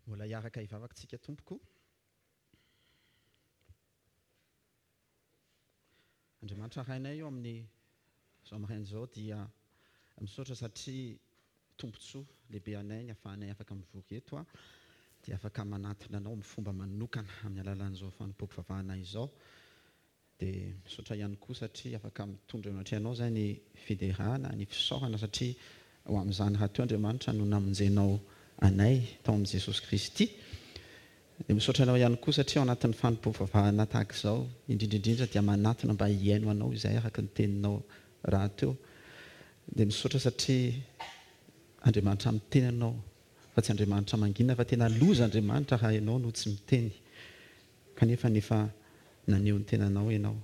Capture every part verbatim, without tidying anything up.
Mbola hiaraka hivavaka tsika tompoko. Andriamanitra Rainay eo amin'ny izao maraina izao dia misaotra satria tombontsoa lehibe anay ny ahafahanay afaka mivory eto dia afaka manatona anao amin'ny fomba manokana amin'ny alalan'izao fanompoam-pivavahana izao. Dia misaotra ihany koa satria afaka mitondra eo anatrehanao izay ny fiderana, ny fisaorana satria ho amin'izany rahateo Andriamanitra no namonjenao anay tao amin'i Jesosy Kristy. Dia misaotra anao ihany koa satria ao anatin'ny fanompoam-pivavahana tahaka izao, indrindra indrindra dia manatona mba hihaino anao izay araka ny teninao rahateo. Dia misaotra satria Andriamanitra miteny anao fa tsy Andriamanitra mangina, fa tena loza Andriamanitra raha ianao no tsy miteny. Kanefa efa naneho ny tenanao ianao,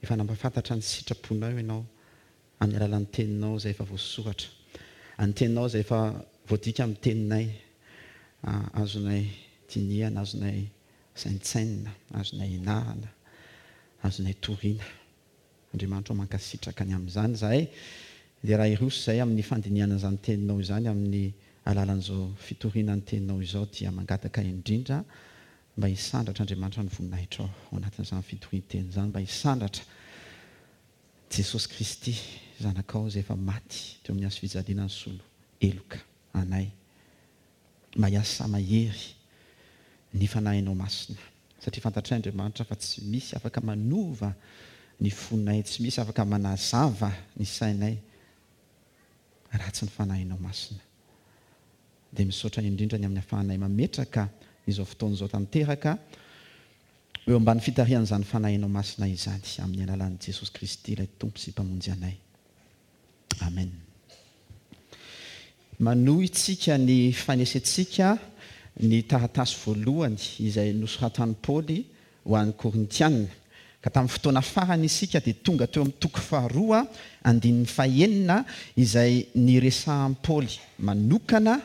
efa nampahafantatra ny sitraponao ianao amin'ny alalan'ny teninao izay efa voasoratra, ny teninao izay efa voadika amin'ny teninay, azonay dinihana, azonay saintsainina, azonay ianarana, azonay toriana. Andriamanitra mankasitraka ny amin'izany izahay. Dia raha hiroso izahay amin'ny fandinihana izany teninao izany amin'ny alalan'izao fitoriana ny teninao izao, dia mangataka indrindra mba hisandratra Andriamanitra ny voninahitrao ao anatin'izany fitorian-teny izany, mba hisandratra Jesosy Kristy zanakao izay efa maty teo amin'ny hazo fijaliana nisolo heloka anay, mba hiasa mahery ny fanahinao masina, satria fantatray Andriamanitra fa tsy misy afaka manova ny fonay, tsy misy afaka manazava ny sainay raha tsy ny fanahinao masina. Dia misaotra indrindra ny amin'ny ahafahanay mametraka izao fotoana izao tanteraka eo ambany fitarihan'izany fanahinao masina izany amin'ny alalan'i Jesosy Kristy ilay Tompo sy Mpamonjy anay. Amen. Manohy tsika ny fanesentsika ny taratasy voalohany izay nosoratan'i Paoly ho an'ny Korintiana. Ka tamin'ny fotoana farany isika dia tonga teo amin'ny toko faharoa andininy fahenina izay niresahan'i Paoly manokana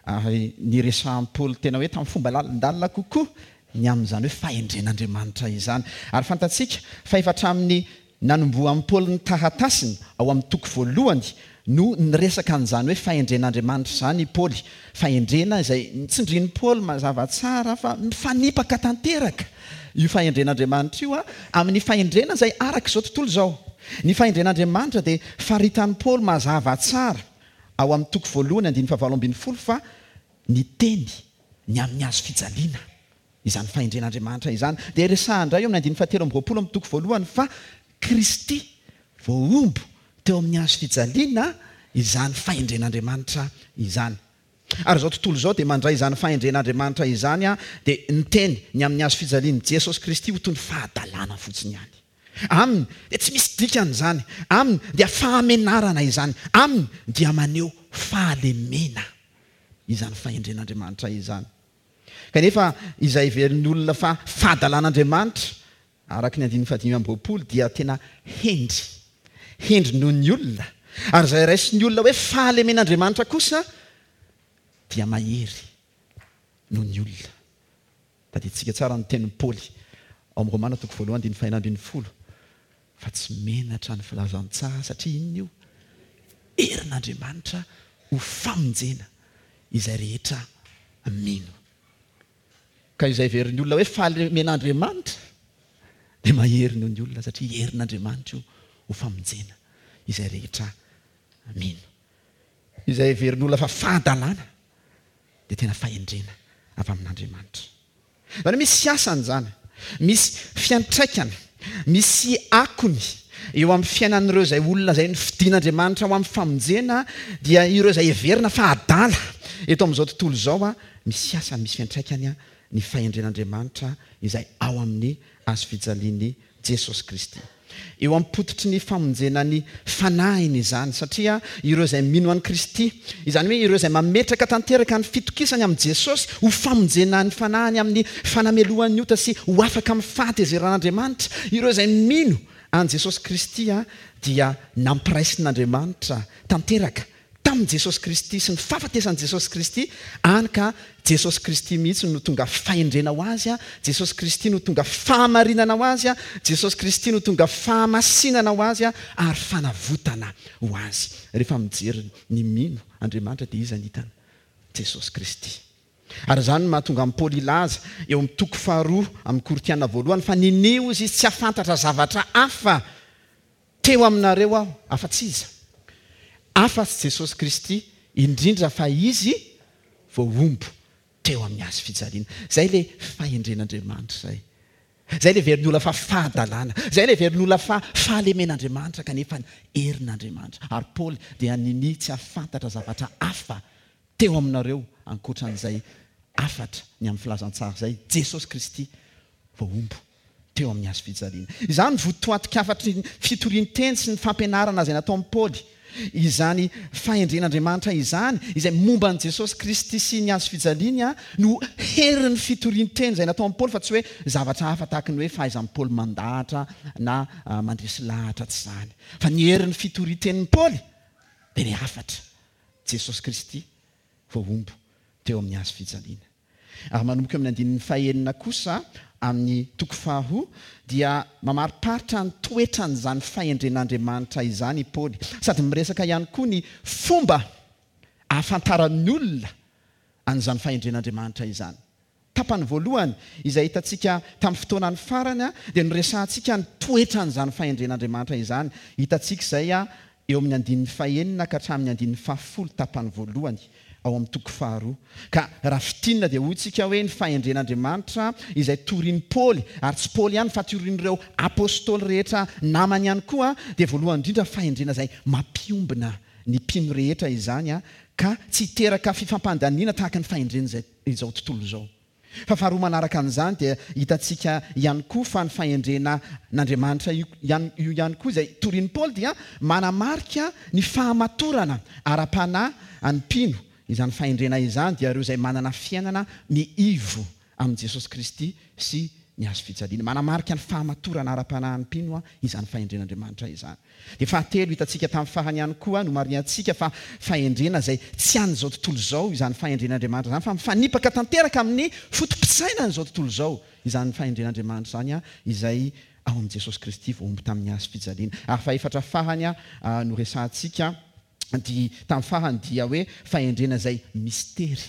ary niresahan'i Paoly tena hoe tamin'ny fomba lalindalina kokoa ny amin'izany hoe fahendren'Andriamanitra izany. Ary fantatsika fa efa hatramin'ny nanombohan'i Paoly ny taratasiny ao amin'ny toko voalohany no niresaka an'izany hoe fahendren'Andriamanitra izany i Paoly. Fahendrena izay nitsindrin'i Paoly mazava tsara fa mifanipaka tanteraka io fahendren'Andriamanitra io amin'ny fahendrena izay araka izao tontolo izao. Ny fahendren'Andriamanitra dia faritan'i Paoly mazava tsara ao amin'ny toko voalohany andininy fahavalo ambin'ny folo fa ny teny ny amin'ny hazo fijaliana izany fahendren'Andriamanitra izany. Dia resahana indray eo amin'ny andininy fahatelo amby roapolo amin'ny toko voalohany fa Kristy voahombo teo amin'ny hazo fijaliana izany fahendren'Andriamanitra izany. Ary izao tontolo izao dia mandray izany fahendren'Andriamanitra izany dia niteny ny amin'ny hazo fijalian'i Jesosy Kristy ho toy ny fahadalana fotsiny ihany. Aminy dia tsy misy dikany izany, aminy dia fahamenarana izany, aminy dia maneho fahalemena izany fahendren'Andriamanitra izany. Kanefa izay heverin'ny olona fa fahadalan'Andriamanitra araka ny andininy fahadimy amby roapolo dia tena hendry, hendry noho ny olona. Ary izay raisin'ny olona hoe fahalemen'Andriamanitra kosa dia mahery noho ny olona. Tadidintsika tsara ny tenin'i Paoly ao amin'ny Romana toko voalohany andininy fahenina ambin'ny folo fa tsy menatra ny filazantsara satria inona io? Herin'Andriamanitra ho famonjena izay rehetra mino. Ka izay heverin'ny olona hoe fahalemen'Andriamanitra dia mahery noho ny olona satria herin'Andriamanitra io ho famonjena izay rehetra mino. Izay heverin'ny olona fa fahadalana dia tena fahendrena avy amin'Andriamanitra. Izany hoe misy asany izany, misy fiantraikany, misy akony eo amin'ny fiainan'ireo izay olona izay nofidin'Andriamanitra ho amin'ny famonjena, dia ireo izay heverina fa adala eto amin'izao tontolo izao, misy asany, misy fiantraikany ny fahendren'Andriamanitra izay ao amin'ny hazo fijalian'i Jesosy Kristy. Eo am-pototry ny famonjena ny fanahiny izany, satria ireo izay mino an'i Kristy, izany hoe ireo izay mametraka tanteraka ny fitokisany amin'i Jesosy ho famonjena ny fanahiny amin'ny fanamelohan'ny ota sy ho afaka amin'ny fahatezeran'Andriamanitra, ireo izay mino an'i Jesosy Kristy dia nampiraisin'Andriamanitra tanteraka tamin'i Jesosy Kristy sy ny fahafatesan'i Jesosy Kristy, any ka Jesosy Kristy mihitsy no tonga fahendrena ho azy, Jesosy Kristy no tonga fahamarinana ho azy, Jesosy Kristy no tonga fahamasinana ho azy ary fanavotana ho azy. Rehefa mijery ny mino Andriamanitra dia iza ny hitany? Jesosy Kristy. Ary izany no mahatonga an'i Paoly hilaza eo amin'ny toko faharoa amin'ny Korintiana voalohany fa ninia hozy izy tsy hahafantatra zavatra hafa teo aminareo aho afa-tsy iza? Afa-tsy Jesosy Kristy, indrindra fa Izy voahombo teo amin'ny hazo fijaliana. Izay ilay fahendren'Andriamanitra izay. Izay ilay heverin'ny olona fa fahadalana. Izay ilay heverin'ny olona fa fahalemen'Andriamanitra kanefa herin'Andriamanitra. Ary Paoly dia ninia tsy hahafantatra zavatra hafa teo aminareo ankoatra an'izay hafatra ny amin'ny filazantsara izay, Jesosy Kristy voahombo teo amin'ny hazo fijaliana. Izany no votoatin-kafatry ny fitorian-teny sy ny fampianarana izay nataon'i Paoly. Izany fahendren'Andriamanitra izany, izay momba an'i Jesosy Kristy sy ny hazo fijaliany, no herin'ny fitorian-teny izay nataon'i Paoly fa tsy hoe zavatra hafa tahaka ny hoe fahaizan'i Paoly mandahatra na mandresy lahatra, tsy izany. Fa ny herin'ny fitorian-tenin'i Paoly dia ny hafatra, Jesosy Kristy voahombo teo amin'ny hazo fijaliana. Ary manomboka eo amin'ny andininy fahenina kosa amin'ny toko faharoa dia mamariparitra ny toetran'izany fahendren'Andriamanitra izany i Paoly, sady miresaka ihany koa ny fomba ahafantaran'ny olona an'izany fahendren'Andriamanitra izany. Tapany voalohany izay hitantsika tamin'ny fotoanan'ny farany dia noresahantsika ny toetran'izany fahendren'Andriamanitra izany. Hitantsika izay eo amin'ny andininy fahenina ka hatramin'ny andininy fahafolo tapany voalohany ao amin'ny toko faharoa. Ka raha fintinina dia hoy tsika hoe ny fahendren'Andriamanitra izay torin'i Paoly, ary tsy Paoly ihany fa torin'ireo apostoly rehetra namany ihany koa, dia voalohany indrindra fahendrena izay mampiombona ny mpino rehetra izany ka tsy hiteraka fifampandaniana tahaka ny fahendren'izao tontolo izao. Fa faharoa manaraka an'izany dia hitantsika ihany koa fa ny fahendrena n'Andriamanitra io ihany koa izay torin'i Paoly dia manamarika ny fahamatorana ara-panahy an'ny mpino. Izany fahendrena izany dia ireo izay manana fiainana miivo amin'i Jesosy Kristy sy ny hazo fijaliana. Manamarika ny fahamatorana ara-panahin'ny mpino izany fahendren'Andriamanitra izany. Dia fahatelo hitantsika tamin'ny farany ihany koa, nomarihantsika fa fahendrena izay tsy an'izao tontolo izao izany fahendren'Andriamanitra izany, fa mifanipaka tanteraka amin'ny foto-pisainan'izao tontolo izao izany fahendren'Andriamanitra izany, izay ao amin'i Jesosy Kristy voahombo tamin'ny hazo fijaliana. Ary fahefatra farany noresahantsika dia tamin'ny farany dia hoe fahendrena izay mistery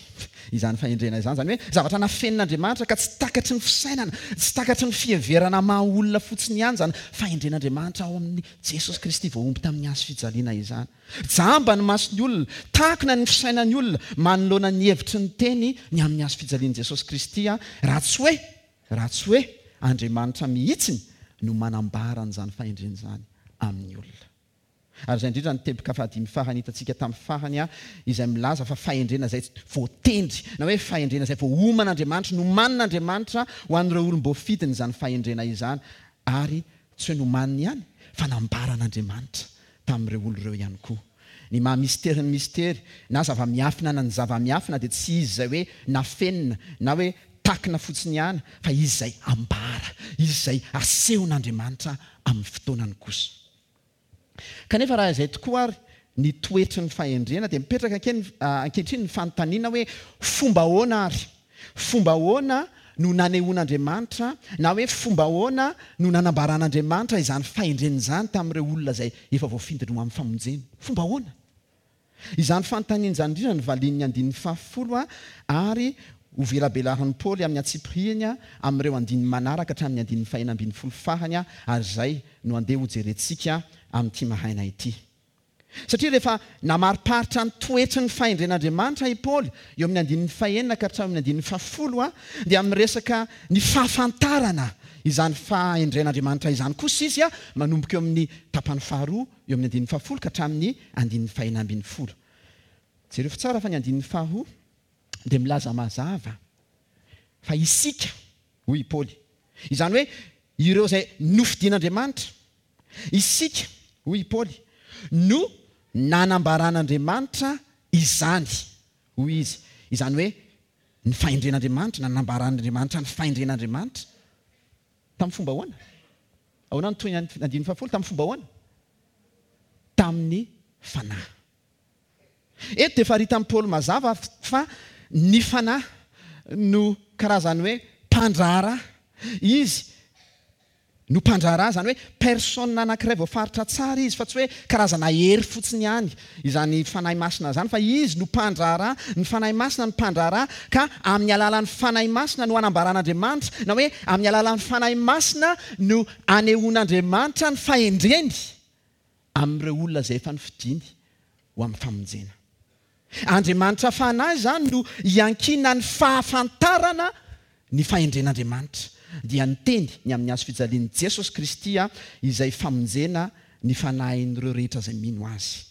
izany fahendrena izany, izany hoe zavatra nafenin'Andriamanitra ka tsy takatry ny fisainana, tsy takatry ny fiheverana maha olona fotsiny ihany izany fahendren'Andriamanitra ao amin'i Jesosy Kristy voahombo tamin'ny hazo fijaliana izany. Jamba ny mason'ny olona, takona ny fisainan'ny olona manoloana ny hevitry ny teny ny amin'ny hazo fijalian'i Jesosy Kristy, raha tsy hoe raha tsy hoe Andriamanitra mihitsiny no manambara an'izany fahendrena izany amin'ny olona. Ary izay indrindra ny teboka fahadimy farany hitantsika tamin'ny farany, izay milaza fa fahendrena izay voatendry, na hoe fahendrena izay voaoman'Andriamanitra, nomanin'Andriamanitra ho an'ireo olom-boafidiny izany fahendrena izany, ary tsy hoe nomaniny ihany fa nambaran'Andriamanitra tamin'ireo olona ireo ihany koa. Ny maha mistery ny mistery na zava-miafina na ny zava-miafina dia tsy izy izay hoe nafenina na hoe takina fotsiny ihany, fa izy izay ambara, izy izay asehon'Andriamanitra amin'ny fotoanany kosa. Kanefa raha izay tokoa ary ny toetry ny fahendrena dia mipetraka ankehitriny ny fanontaniana hoe fomba ahoana ary? Fomba ahoana no nanehoan'Andriamanitra na hoe fomba ahoana no nanambaran'Andriamanitra izany fahendrena izany tamin'ireo olona izay efa voafindiny ho amin'ny famonjena? Fomba ahoana? Izany fanontaniana izany indrindra no valian'ny andininy fahafolo ary ho velabelarin'i Paoly amin'ny antsipiriany amin'ireo andininy manaraka hatramin'ny andininy fahenina ambin'ny folo farany, ary izay no andeha hojerentsika amin'ity maraina ity. Satria rehefa namariparitra ny toetry ny fahendren'Andriamanitra i Paoly eo amin'ny andininy fahenina ka hatramin'ny andininy fahafolo, dia miresaka ny fahafantarana izany fahendren'Andriamanitra izany kosa izy, manomboka eo amin'ny tapany faharoa eo amin'ny andininy fahafolo ka hatramin'ny andininy fahenina ambin'ny folo. Jereo tsara fa ny andininy faharoa dia milaza mazava fa isika, hoy i Paoly, izany hoe ireo izay nofidin'Andriamanitra, isika, hoy i Paoly, no nanambaran'Andriamanitra izany, hoy izy, izany hoe ny fahendren'Andriamanitra, nanambaran'Andriamanitra ny fahendren'Andriamanitra tamin'ny fomba ahoana? Ahoana no toy ny andininy fahafolo? Tamin'ny fomba ahoana? Tamin'ny fanahy. Eto dia faritan'i Paoly mazava fa ny fanahy no karazany hoe mpandraharaha. Izy no mpandraharaha, izany hoe personne anankiray voafaritra tsara izy, fa tsy hoe karazana hery fotsiny ihany izany Fanahy Masina izany, fa izy no mpandraharaha, ny Fanahy Masina no mpandraharaha, ka amin'ny alalan'ny Fanahy Masina no anambaran'Andriamanitra, na hoe amin'ny alalan'ny Fanahy Masina no anehoan'Andriamanitra ny fahendreny amin'ireo olona izay efa nofidiny ho amin'ny famonjena. Andriamanitra Fanahy izany no iankinan'ny fahafantarana ny fahendren'Andriamanitra, dia ny teny ny amin'ny hazo fijalian'i Jesosy Kristy izay famonjena ny fanahin'ireo rehetra izay mino Azy.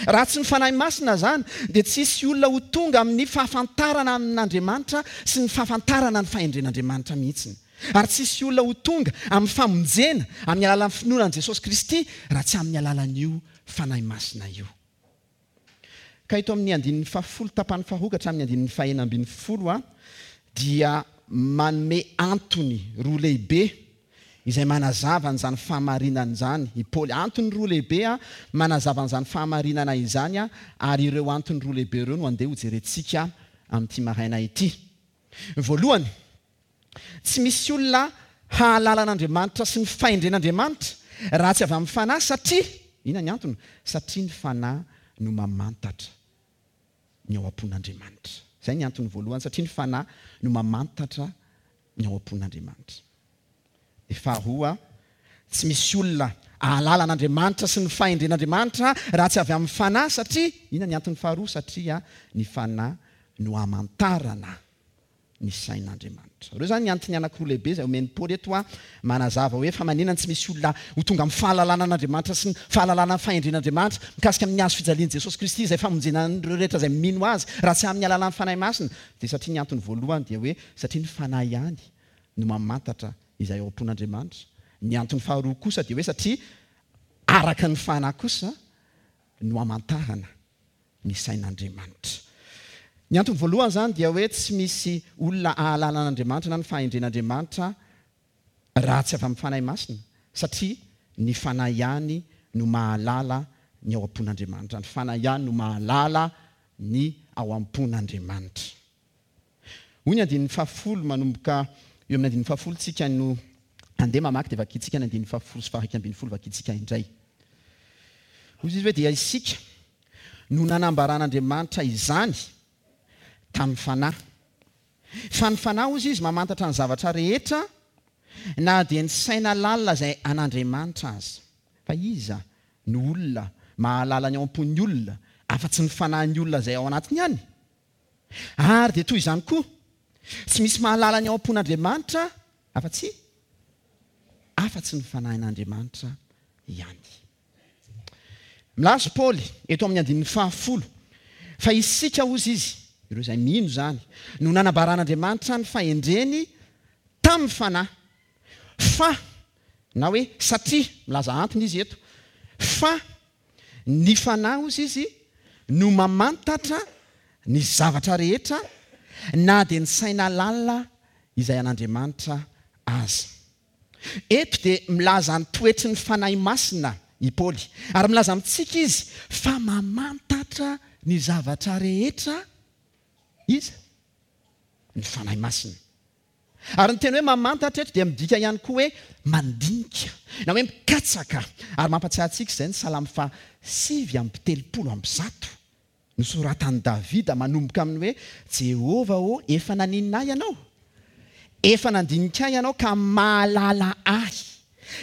Raha tsy ny Fanahy Masina izany, dia tsy hisy olona ho tonga amin'ny fahafantarana amin'Andriamanitra sy ny fahafantarana ny fahendren'Andriamanitra mihitsy. Ary tsy hisy olona ho tonga amin'ny famonjena amin'ny alalan'ny finoana an'i Jesosy Kristy raha tsy amin'ny alalan'io Fanahy Masina io. Ka eto amin'ny andininy fahafolo tapany faharoa ka hatramin'ny andininy fahenina ambin'ny folo dia manome antony roa lehibe izay manazava an'izany fahamarinana izany i Paoly. Antony roa lehibe manazava an'izany fahamarinana izany, ary ireo antony roa lehibe ireo no andeha hojerentsika amin'ity maraina ity. Voalohany, tsy misy olona hahalala an'Andriamanitra sy ny fahendren'Andriamanitra raha tsy avy amin'ny Fanahy, satria inona ny antony? Satria ny Fanahy no mamantatra ny ao am-pon'Andriamanitra. Izay ny antony voalohany, satria ny Fanahy no mamantatra ny ao am-pon'Andriamanitra. Dia faharoa, tsy misy olona hahalala an'Andriamanitra sy ny fahendren'Andriamanitra raha tsy avy amin'ny Fanahy, satria inona ny antony faharoa? Satria ny Fanahy no hamantarana ny sain'Andriamanitra. Ireo izany ny antony anankiroa lehibe izay omen'i Paoly eto manazava hoe fa maninona tsy misy olona ho tonga amin'ny fahalalana an'Andriamanitra sy ny fahalalana ny fahendren'Andriamanitra mikasika amin'ny hazo fijalian'i Jesosy Kristy izay famonjena an'ireo rehetra izay mino Azy raha tsy amin'ny alalan'ny Fanahy Masina. Dia satria ny antony voalohany dia hoe satria ny Fanahy ihany no mamantatra izay ao am-pon'Andriamanitra. Ny antony faharoa kosa dia hoe satria araka ny Fanahy kosa no hamantarana ny sain'Andriamanitra. Ny antony voalohany izany dia hoe tsy misy olona hahalala an'Andriamanitra na ny fahendren'Andriamanitra raha tsy avy amin'ny Fanahy Masina, satria ny Fanahy ihany no mahalala ny ao am-pon'Andriamanitra. Ny Fanahy ihany no mahalala ny ao am-pon'Andriamanitra. Hoy ny andininy fahafolo, manomboka eo amin'ny andininy fahafolo tsika no andeha mamaky, dia vakintsika ny andininy fahafolo sy faha-iraika ambin'ny folo vakintsika indray. Hoy izy hoe dia isika no nanambaran'Andriamanitra izany tamin'ny Fanahy. Fa ny Fanahy, hoy izy, mamantatra ny zavatra rehetra na dia ny saina lalina izay an'Andriamanitra aza. Fa iza no olona mahalala ny ao am-pon'ny olona afa-tsy ny fanahin'ny olona izay ao anatiny ihany? Ary dia toy izany koa, tsy misy mahalala ny ao am-pon'Andriamanitra afa-tsy afa-tsy ny fanahin'Andriamanitra ihany. Milaza Paoly eto amin'ny andininy fahafolo fa isika, hoy izy, ireo izay mino izany, no nanambaran'Andriamanitra ny fahendreny tamin'ny Fanahy. Fa, na hoe satria, milaza antony izy eto, fa ny Fanahy, hoy izy, no mamantatra ny zavatra rehetra na dia ny saina lalina izay an'Andriamanitra aza. Eto dia milaza ny toetry ny Fanahy Masina i Paoly, ary milaza amintsika izy fa mamantatra ny zavatra rehetra izy, ny Fanahy Masina. Ary ny teny hoe mamantatra eto dia midika ihany koa hoe mandinika, na hoe mikatsaka. Ary mampatsiahy antsika izay ny Salamo faha sivy amby telopolo amby zato nosoratan'i Davida manomboka amin'ny hoe Jehovah ô, efa naninona ahy ianao? Efa nandinika ahy ianao ka mahalala ahy.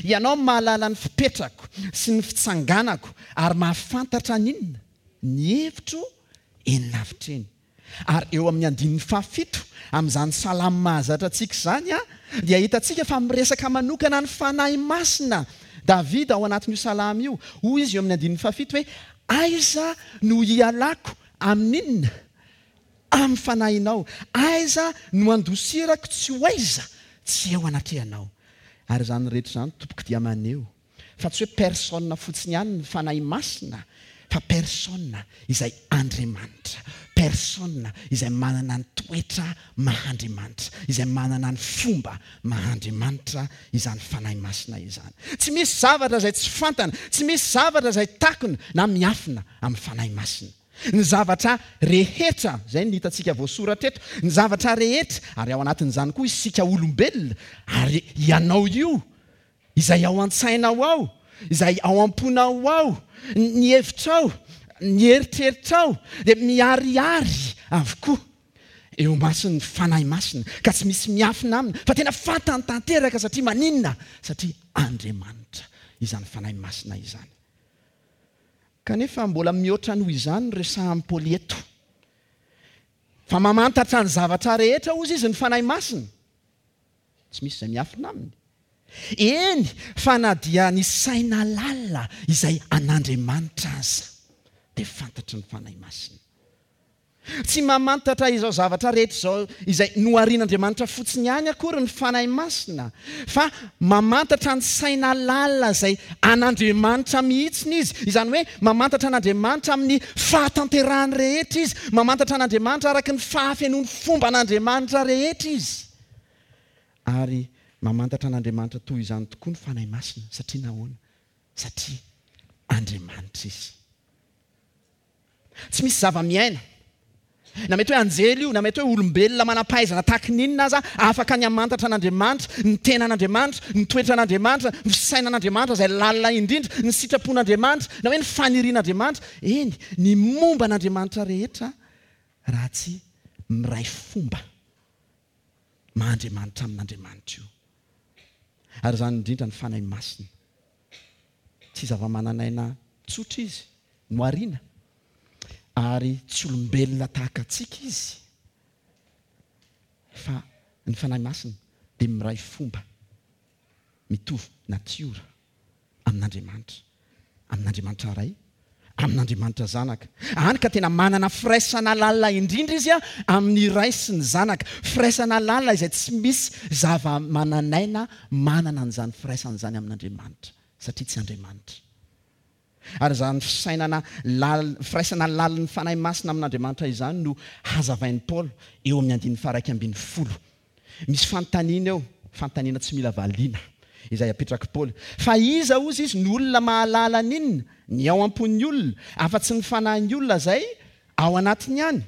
Ianao mahalala ny fipetrako sy ny fitsanganako ary mahafantatra n'inona? Ny hevitro eny lavitra eny. Ary eo amin'ny andininy fahafito amin'izany salamo mahazatra antsika izany dia hitantsika fa miresaka manokana ny Fanahy Masina Davida ao anatin'io salamo io. Hoy izy eo amin'ny andininy fahafito hoe aiza no hialako amin'inona? Amin'ny fanahinao. Aiza no handosirako tsy ho aiza? Tsy eo anatrehanao. Ary izany rehetra izany tompoko dia maneho fa tsy hoe personne fotsiny ihany ny Fanahy Masina, fa personne izay Andriamanitra, personne izay manana ny toetra maha-Andriamanitra, izay manana ny fomba maha-Andriamanitra izany Fanahy Masina izany. Tsy misy zavatra izay tsy fantany, tsy misy zavatra izay takona na miafina amin'ny Fanahy Masina. Ny zavatra rehetra, izay no hitantsika voasoratra eto, ny zavatra rehetra, ary ao anatin'izany koa isika olombelona, ary ianao io Izay ao an-tsainao ao, izay ao am-ponao ao, ny hevitrao, ny eritreritrao dia miharihary avokoa eo imason'ny Fanahy Masina, ka tsy misy miafina aminy, fa tena fantany tanteraka. Satria maninona? Satria Andriamanitra izany Fanahy Masina izany. Kanefa mbola mihoatra noho izany no resahan'i Paoly eto, fa mamantatra ny zavatra rehetra hozy izy ny Fanahy Masina, tsy misy izay miafina aminy. Eny, fa na dia ny saina lalina izay an'Andriamanitra aza dia fantatry ny Fanahy Masina. Tsy mamantatra izao zavatra rehetra izao izay noharian'Andriamanitra fotsiny ihany akory ny Fanahy Masina, fa mamantatra ny saina lalina izay an'Andriamanitra mihitsy izy. Izany hoe mamantatra an'Andriamanitra amin'ny fahatanterahany rehetra izy, mamantatra an'Andriamanitra araka ny fahafenoan'ny fomban'Andriamanitra rehetra izy. Ary mamantatra an'Andriamanitra toy izany tokoa ny Fanahy Masina. Satria nahoana? Satria Andriamanitra izy. Tsy misy zava-miaina, na mety hoe anjely io, na mety hoe olombelona manam-pahaizana tahaka ny inona aza, afaka ny hamantatra an'Andriamanitra, ny tenan'Andriamanitra, ny toetran'Andriamanitra, ny fisainan'Andriamanitra izay lalina indrindra, ny sitrapon'Andriamanitra, na hoe ny fanirian'Andriamanitra, eny, ny momba an'Andriamanitra rehetra, raha tsy miray fomba maha Andriamanitra amin'Andriamanitra io. Ary izany indrindra ny Fanahy Masina. Tsy zava-manan'aina tsotra izy, nohariana, ary tsy olombelona tahaka antsika izy, fa ny Fanahy Masina dia miray fomba mitovy natiora amin'Andriamanitra, amin'Andriamanitra Ray, amin'Andriamanitra Zanaka. Any ka tena manana firaisana lalina indrindra izy amin'ny Ray sy ny Zanaka. Firaisana lalina izay tsy misy zava-manan'aina manana an'izany firaisana izany amin'Andriamanitra, satria tsy Andriamanitra. Ary izany fisainana lal-, firaisana lalin'ny Fanahy Masina amin'Andriamanitra izany no hazavain'i Paoly eo amin'ny andininy faha-iraika ambin'ny folo. Misy fanontaniana eo, fanontaniana tsy mila valiana, izay apetrak'i Paoly. Fa iza hozy izy no olona mahalala n'inona, ny ao am-pon'ny olona, afa-tsy ny fanahin'ny olona izay ao anatiny ihany?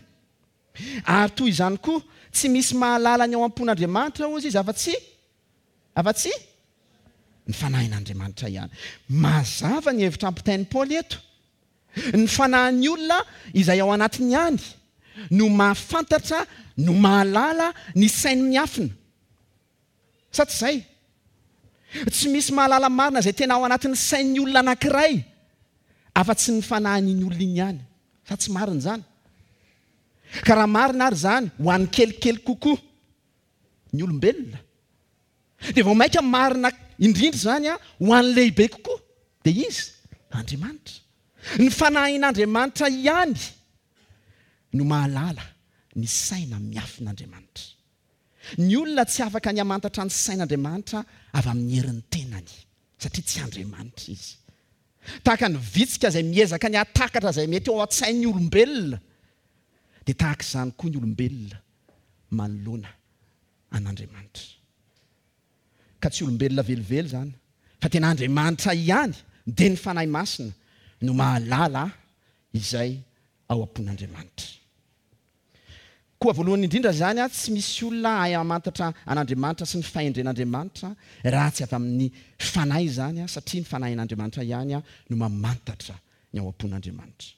Ary toy izany koa, tsy misy mahalala ny ao am-pon'Andriamanitra hozy izy afa-tsy, afa-tsy ny fanahin'Andriamanitra ihany. Mazava ny hevitra ampitain'i Paoly eto. Ny fanahin'ny olona izay ao anatiny ihany no mahafantatra, no mahalala ny sainy miafina. Sa tsy izay? Tsy misy mahalala marina izay tena ao anatin'ny sain'ny olona anankiray afa-tsy ny fanahin'iny olona iny ihany. Sa tsy marina izany? Ka raha marina ary izany ho an'ny kelikely kokoa ny olombelona, dia vao mainka marina indrindra izany a, ho an'ny lehibe kokoa, dia izy, Andriamanitra. Ny fanahin'Andriamanitra ihany no mahalala ny saina miafin'Andriamanitra. Ny olona tsy afaka ny hamantatra ny sain'Andriamanitra avy amin'ny herin'ny tenany, satria tsy Andriamanitra izy. Tahaka ny vitsika izay miezaka ny hahatakatra izay mety ao an-tsain'ny olombelona, dia tahaka izany koa ny olombelona manoloana an'Andriamanitra. Ka tsy olombelona velively izany, fa tena Andriamanitra ihany, dia ny Fanahy Masina no mahalala izay ao am-pon'Andriamanitra. Koa voalohany indrindra izany, tsy misy olona hahay hamantatra an'Andriamanitra sy ny fahendren'Andriamanitra raha tsy avy amin'ny Fanahy izany, satria ny Fanahin'Andriamanitra ihany no mamantatra ny ao am-pon'Andriamanitra.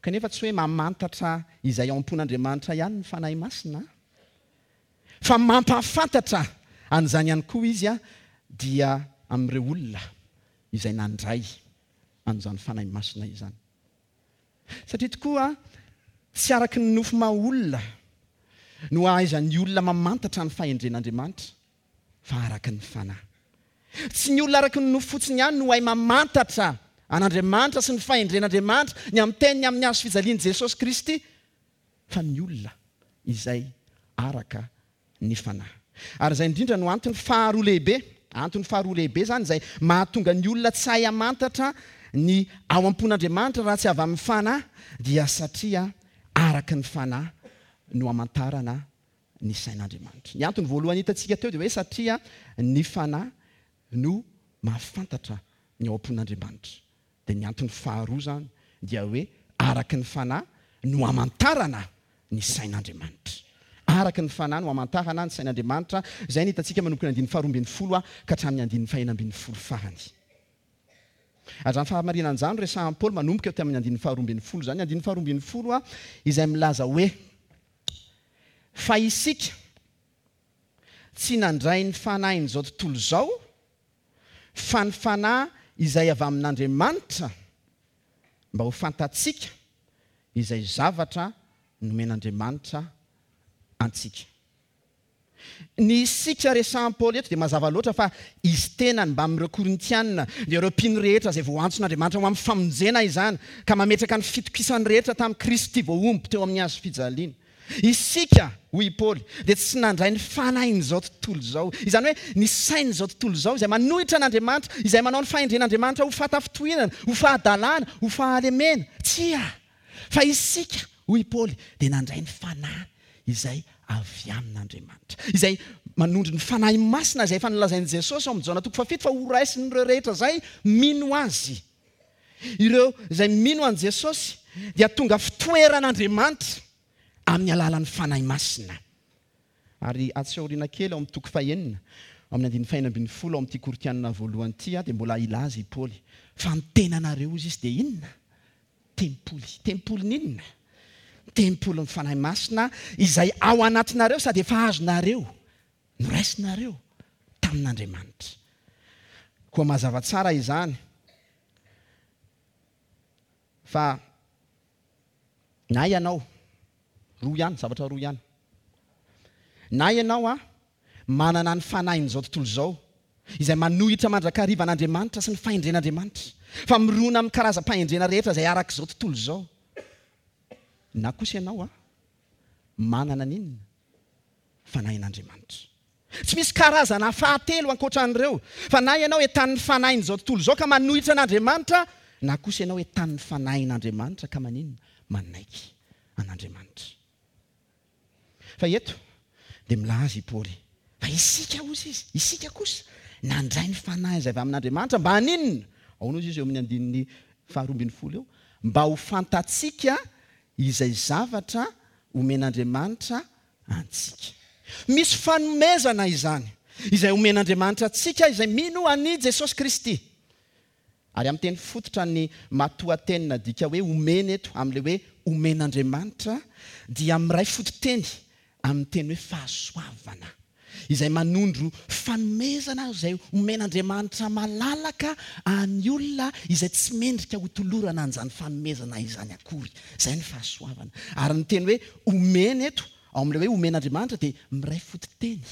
Kanefa tsy hoe mamantatra izay ao am-pon'Andriamanitra ihany ny Fanahy Masina, fa mampahafantatra an'izany ihany koa izy dia amin'ireo olona izay nandray an'izany Fanahy Masina izany. Satria tokoa tsy araky ny nofo maha olona no ahaizan'ny olona mamantatra ny fahendren'Andriamanitra, fa araky ny Fanahy. Tsy ny olona araky ny nofo fotsiny ihany no hay mamantatra an'Andriamanitra sy ny fahendren'Andriamanitra, ny amin'ny teniny amin'ny hazo fijalian'i Jesosy Kristy, fa ny olona izay araka ny Fanahy. Ary izay indrindra no antony faharoa lehibe, antony faharoa lehibe izany izay mahatonga ny olona tsy hahay hamantatra ny ao am-pon'Andriamanitra raha tsy avy amin'ny Fanahy, dia satria araka ny Fanahy no hamantarana ny sain'Andriamanitra. Ny antony voalohany hitantsika teo dia hoe satria ny Fanahy no mahafantatra ny ao am-pon'Andriamanitra. Dia ny antony faharoa izany dia hoe araka ny Fanahy no hamantarana ny sain'Andriamanitra. araka ny Fanahy no hamantarana ny sain'Andriamanitra, izay no hitantsika manomboka ny andininy faharoa ambin'ny folo ka hatramin'ny andininy fahenina ambin'ny folo farany. Ary izany fahamarinana izany no resahan'i Paoly manomboka eo tamin'ny andininy faharoa ambin'ny folo izany. Andininy faharoa ambin'ny folo izay milaza hoe, Fa isika tsy nandray ny fanahin'izao tontolo izao, fa ny Fanahy izay avy amin'Andriamanitra, mba ho fantatsika izay zavatra nomen'Andriamanitra antsika. Ny isika resahan'i Paoly eto dia mazava loatra fa izy tenany mbamin'ireo Korintiana, dia ireo mpino rehetra izay voantson'Andriamanitra ho amin'ny famonjena izany, ka mametraka ny fitokisany rehetra tamin'i Kristy voahombo teo amin'ny hazo fijaliana. Isika, hoy i Paoly, dia tsy nandray ny fanahin'izao tontolo izao, izany hoe ny sain'izao tontolo izao izay manohitra an'Andriamanitra, izay manao ny fahendren'Andriamanitra ho fahatafintohinana, ho fahadalana, ho fahalemena. Tsia! Fa isika, hoy i Paoly, dia nandray ny Fanahy izay avy amin'Andriamanitra, izay manondro ny Fanahy Masina izay efa nolazain'i Jesosy ao amin'ny Jaona toko fahafito fa horaisin'ireo rehetra izay mino Azy. Ireo izay mino an'i Jesosy dia tonga fitoeran'Andriamanitra amin'ny alalan'ny Fanahy Masina. Ary atsy aoriana kely ao amin'ny toko fahenina, ao amin'ny andininy fahenina ambin'ny folo ao amin'ity Korintiana voalohany ity, dia mbola hilaza i Paoly fa ny tenanareo, hozy izy, dia inona? Tempoly. Tempolin'inona? Tempolin'ny Fanahy Masina izay ao anatinareo sady efa azonareo, noraisinareo tamin'Andriamanitra. Koa mazava tsara izany fa na ianao, roa ihany, zavatra roa ihany, na ianao a, manana ny fanahin'izao tontolo izao, izay manohitra mandrakariva an'Andriamanitra sy ny fahendren'Andriamanitra, fa mirona amin'ny karazam-pahendrena rehetra izay arak'izao tontolo izao, na kosa ianao a, manana ny inona? Fanahin'Andriamanitra. Tsy misy karazana fahatelo ankoatra an'ireo, fa na ianao entanin'ny fanahin'izao tontolo izao ka manohitra an'Andriamanitra, na kosa ianao entanin'ny fanahin'Andriamanitra ka maninona? Manaiky an'Andriamanitra. Fa eto dia milaza i Paoly fa isika, hozy izy, isika kosa nandray ny Fanahy izay avy amin'Andriamanitra mba haninona? Ahoana hozy izy eo amin'ny andininy faharoa ambin'ny folo eo? Mba ho fantatsika izay zavatra omen'Andriamanitra antsika. Misy fanomezana izany izay omen'Andriamanitra antsika izay mino an'i Jesosy Kristy. Ary amin'ny teny fototra ny matoanteny nadika hoe omena eto amin'ilay hoe omen'Andriamanitra dia miray fototeny amin'ny teny hoe fahasoavana, izay manondro fanomezana izay omen'Andriamanitra malalaka an'ny olona izay tsy mendrika hotolorana an'izany fanomezana izany akory. Izay ny fahasoavana. Ary ny teny hoe omena eto ao amin'ilay hoe omen'Andriamanitra dia miray fototeny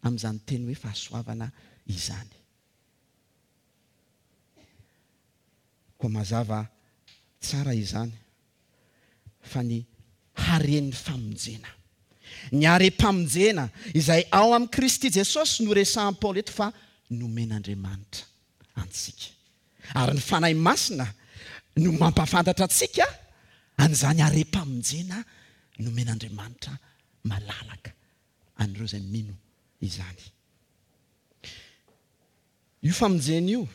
amin'izany teny hoe fahasoavana izany. Koa mazava tsara izany fa ny haren'ny famonjena, ny harem-pamonjena izay ao amin'i Kristy Jesosy no resahan'i Paoly eto fa nomen'Andriamanitra antsika. Ary ny Fanahy Masina no mampahafantatra antsika an'izany harem-pamonjena nomen'Andriamanitra malalaka an'ireo izay mino izany. Io famonjena io,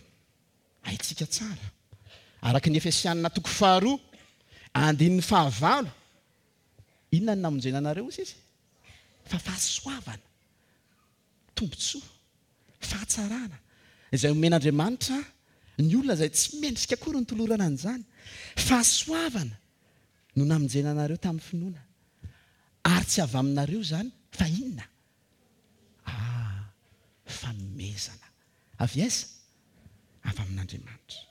haintsika tsara, araka ny Efesianina toko faharoa, andininy fahavalo, inona no namonjena anareo, hoy izy? Fa fahasoavana, tombontsoa, fahatsarana, izay omen'Andriamanitra ny olona izay tsy mendrika akory ny tolorana an'izany. Fahasoavana no namonjena anareo tamin'ny finoana, ary tsy avy aminareo izany, fa inona? Ah, fanomezana. Avy aiza? Avy amin'Andriamanitra.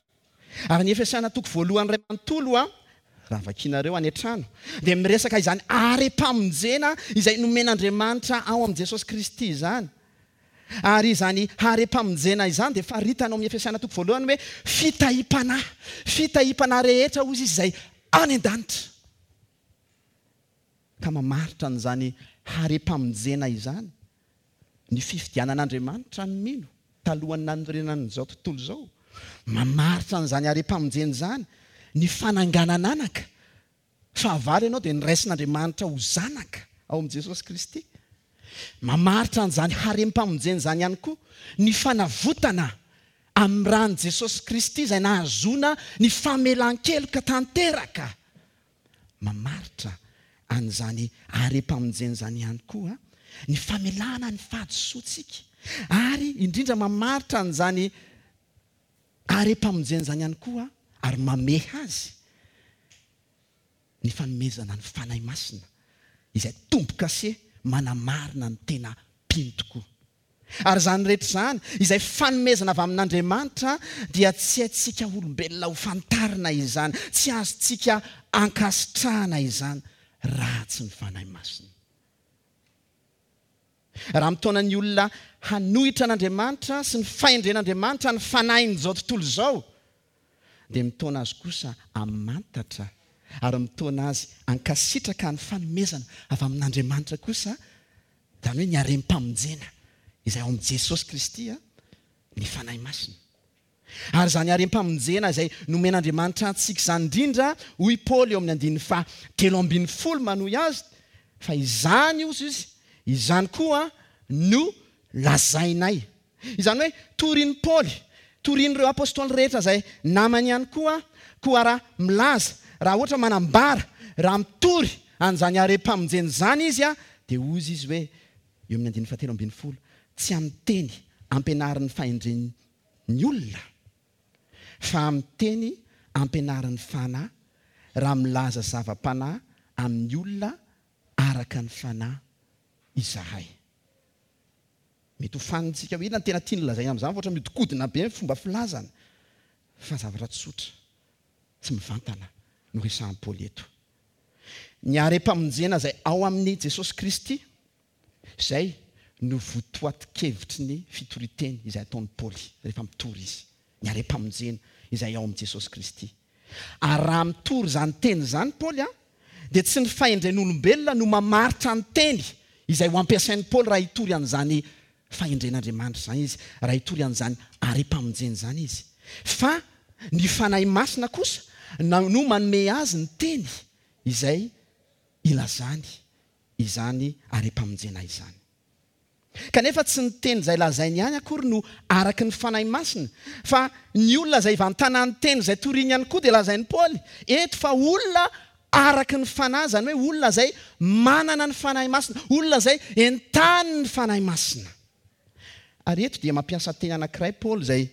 Ary ny Efesiana toko voalohany iray manontolo, raha vakinareo any an-trano, dia miresaka izany harem-pamonjena izay nomen'Andriamanitra ao amin'i Jesosy Kristy izany. Ary izany harem-pamonjena izany dia faritana ao amin'ny Efesiana toko voalohany hoe fitahiam-panahy. Fitahiam-panahy rehetra, hozy izy, izay any an-danitra. Ka mamaritra an'izany harem-pamonjena izany ny fifidianan'Andriamanitra ny mino talohan'ny nanorenany izao tontolo izao. Mamaritra an'izany harem-pamonjena izany ny fananganan'anaka. Fahavalo ianao dia noraisin'Andriamanitra ho zanaka ao amin'i Jesosy Kristy. Mamaritra an'izany harem-pamonjena izany ihany koa ny fanavotana amin'ny ran'i Jesosy Kristy izay nahazoana ny famelan-keloka tanteraka. Mamaritra an'izany harem-pamonjena izany ihany koa ny famelana ny fahadisoantsika, ary indrindra mamaritra an'izany harem-pamonjena izany ihany koa ary mamehy azy ny fanomezana ny Fanahy Masina, izay tombo-kase manamarina ny tena mpino tokoa. Ary izany rehetra izany, izay fanomezana avy amin'Andriamanitra, dia tsy haintsika olombelona ho fantarina izany, tsy azontsika ankasitrahana izany, raha tsy ny Fanahy Masina. Raha mitaona ny olona hanohitra an'Andriamanitra sy ny fahendren'Andriamanitra ny fanahin'izao tontolo izao, dia mitaona azy kosa hamantatra ary mitaona azy hankasitraka ny fanomezana avy amin'Andriamanitra kosa, izany hoe ny harem-pamonjena izay ao amin'i Jesosy Kristy, ny Fanahy Masina. Ary izany harem-pamonjena izay nomen'Andriamanitra antsika izany indrindra, hoy Paoly eo amin'ny andininy faha telo ambin'ny folo manohy azy, fa izany, hozy izy, izany koa no lazainay. Izany hoe torin'i Paoly, torin'ireo apostoly rehetra izay namany ihany koa, koa raha milaza, raha ohatra manambara, raha mitory an'izany harem-pamonjena izany izy, dia hozy izy hoe, eo amin'ny andininy fahatelo ambin'ny folo, tsy amin'ny teny ampianarin'ny fahendren'ny olona, fa amin'ny teny ampianarin'ny Fanahy, raha milaza zava-panahy amin'ny olona araka ny Fanahy izahay. Mety ho fanintsika hoe inona no tena tiany lazaina amin'izany, fa ohatra mihodinkodina be ny fomba filazana, fa zavatra tsotra sy mivantana no resahin'i Paoly eto. Ny harem-pamonjena izay ao amin'i Jesosy Kristy, izay no votoatin-kevitry ny fitorian-teny izay ataon'i Paoly rehefa mitory izy. Ny harem-pamonjena izay ao amin'i Jesosy Kristy. Ary raha mitory izany teny izany Paoly, dia tsy ny fahendren'olombelona no mamaritra ny teny izay ho ampiasain'i Paoly raha hitory an'izany fahendren'Andriamanitra izany izy, raha hitory an'izany harem-pamonjena izany izy. Fa ny Fanahy Masina kosa no manome azy ny teny izay ilazany izany harem-pamonjena izany. Kanefa tsy ny teny izay lazainy ihany akory no araka ny Fanahy Masina, fa ny olona izay ivantanan'ny teny izay toriny ihany koa dia lazain'i Paoly eto fa olona araka ny Fanahy, izany hoe olona izay manana ny Fanahy Masina, olona izay entanin'ny Fanahy Masina. Ary eto dia mampiasa teny anankiray Paoly izay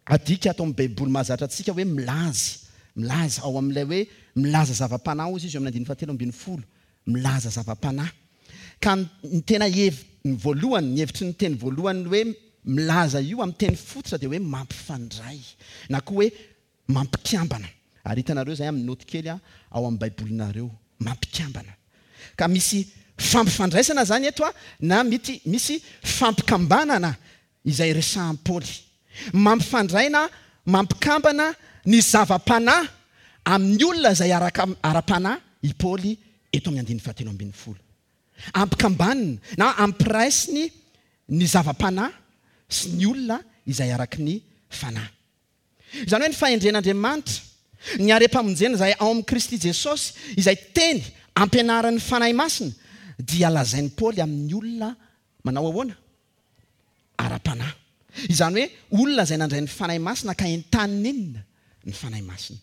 adika ato amin'ny Baiboly mahazatra antsika hoe milaza, milaza ao amin'ilay hoe milaza zava-panahy hozy izy eo amin'ny andininy fahatelo ambin'ny folo, milaza zava-panahy. Ka ny tena heviny voalohany, ny hevitry ny teny voalohany hoe milaza io amin'ny teny fototra dia hoe mampifandray na koa hoe mampikambana. Ary hitanareo izay amin'ny noty kely ao amin'ny Baibolinareo, mampikambana. Ka misy fampifandraisana izany eto na mety misy fampikambanana izay resahan'i Paoly. Mampifandray na mampikambana ny zava-panahy amin'ny olona izay ara-panahy i Paoly eto amin'ny andininy fahatelo ambin'ny folo. Ampikambaniny na ampiraisiny ny zava-panahy sy ny olona izay araky ny fanahy. Izany hoe ny fahendren'Andriamanitra, ny harem-pamonjena izay ao amin'i Kristy Jesosy, izay teny ampianarin'ny Fanahy Masina, dia lazain'i Paoly amin'ny olona manao ahoana? Ara-panahy. Izany hoe olona izay nandray ny Fanahy Masina ka entaniny inona? Ny Fanahy Masina.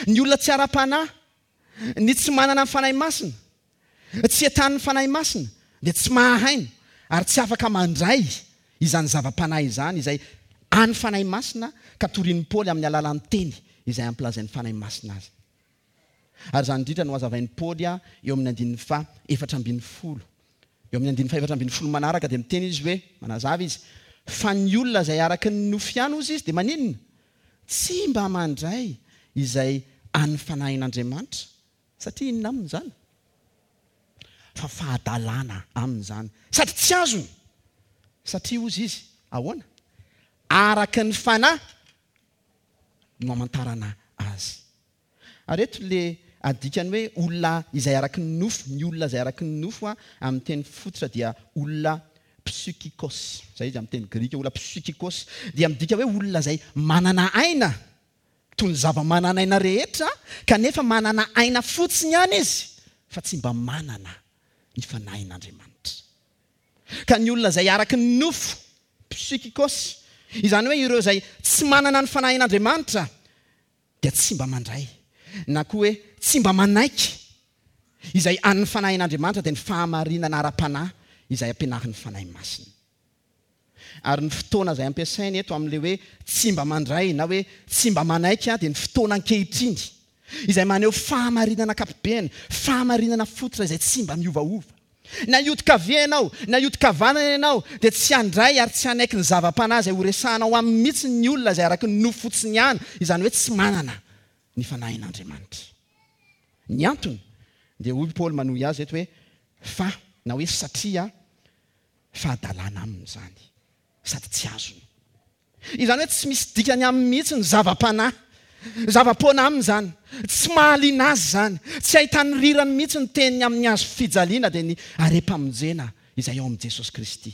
Ny olona tsy ara-panahy, ny tsy manana ny Fanahy Masina, tsy entanin'ny Fanahy Masina, dia tsy mahahaino ary tsy afaka mandray izany zava-panahy izany izay an'ny Fanahy Masina ka torian'i Paoly amin'ny alalan'ny teny izay ampilazain'ny Fanahy Masina azy. Ary izany indrindra no hazavain'i Paoly eo amin'ny andininy faha efatra ambin'ny folo. Eo amin'ny andininy faha efatra ambin'ny folo manaraka dia miteny izy hoe, manazava izy, fa ny olona izay araka ny nofo ihany hozy izy dia maninona? Tsy mba mandray izay an'ny Fanahin'Andriamanitra. Satria inona aminy izany? Fa fahadalana aminy izany. Sady tsy azony. Satria hozy izy, ahoana? Araka ny Fanahy no amantarana azy. Ary eto le adikany hoe olona izay araky ny nofo, ny olona izay araky ny nofo amin'ny teny fototra dia olona psychikos. Izay izy amin'ny teny grika, olona psychikos dia midika hoe olona izay manana aina, toy ny zava-manan'aina rehetra, kanefa manana aina fotsiny ihany izy, fa tsy mba manana ny Fanahin'Andriamanitra. Ka ny olona izay araky ny nofo, psychikos, izany hoe ireo izay tsy manana ny Fanahin'Andriamanitra, dia tsy mba mandray, na koa hoe tsy mba manaiky izay an'ny Fanahin'Andriamanitra dia ny fahamarinana ara-panahy izay ampianarin'ny Fanahy Masina. Ary ny fotoana izay ampiasainy eto amin'ilay hoe tsy mba mandray na hoe tsy mba manaiky dia ny fotoana ankehitriny izay maneho fahamarinana ankapobeny, fahamarinana fototra izay tsy mba miovaova. Na hiodin-kavia ianao, na hiodin-kavanana ianao, dia tsy handray ary tsy hanaiky ny zava-panahy izay horesahanao aminy mihitsy ny olona izay araka ny nofo fotsiny ihany, izany hoe tsy manana ny Fanahin'Andriamanitra. Ny antony dia hoy Paoly manohy azy eto hoe fa na hoe satria fahadalana aminy izany sady tsy azony. Izany hoe tsy misy dikany aminy mihitsy ny zava-panahy. Zava-poana aminy izany, tsy mahaliana azy izany, tsy ahitany rirany mihitsy ny teniny amin'ny hazo fijaliana dia ny harem-pamonjena izay ao amin'i Jesosy Kristy.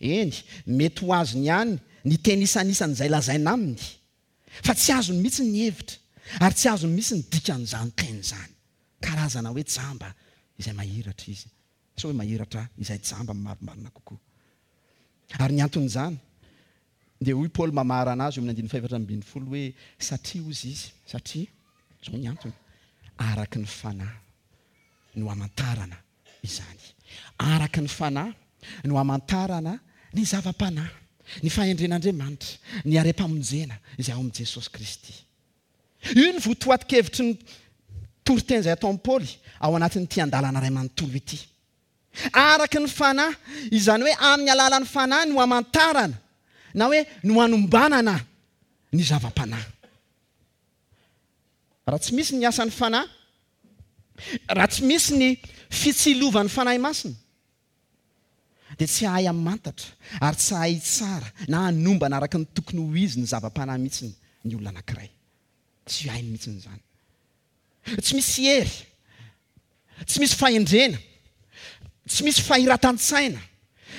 Eny, mety ho azony ihany ny teny isanisany izay lazaina aminy, fa tsy azony mihitsy ny hevitra ary tsy azony mihitsy ny dikan'izany teny izany. Karazana hoe jamba izay mahiratra izy, sao hoe mahiratra izay jamba marimarina kokoa. Ary ny anton'izany dia hoy Paoly mamarana azy eo amin'ny andininy fahefatra ambin'ny folo hoe satria hozy izy, satria izao ny antony, araka ny Fanahy no hamantarana izany. Araka ny Fanahy no hamantarana ny zava-panahy, ny fahendren'Andriamanitra, ny harem-pamonjena izay ao amin'i Jesosy Kristy. Io ny votoatin-kevitry ny toriteny izay ataon'i Paoly ao anatin'ity andalana iray manontolo ity. Araka ny Fanahy, izany hoe amin'ny alalan'ny Fanahy no hamantarana na hoe no hanombanana ny zava-panahy. Raha tsy misy ny asan'ny Fanahy, raha tsy misy ny fitsilovan'ny Fanahy Masina, dia tsy hahay hamantatra ary tsy hahay hitsara na hanombana araka ny tokony ho izy ny zava-panahy mihitsy ny olona anankiray. Tsy hainy mihitsy izany. Tsy misy hery, tsy misy fahendrena, tsy misy fahiratan-tsaina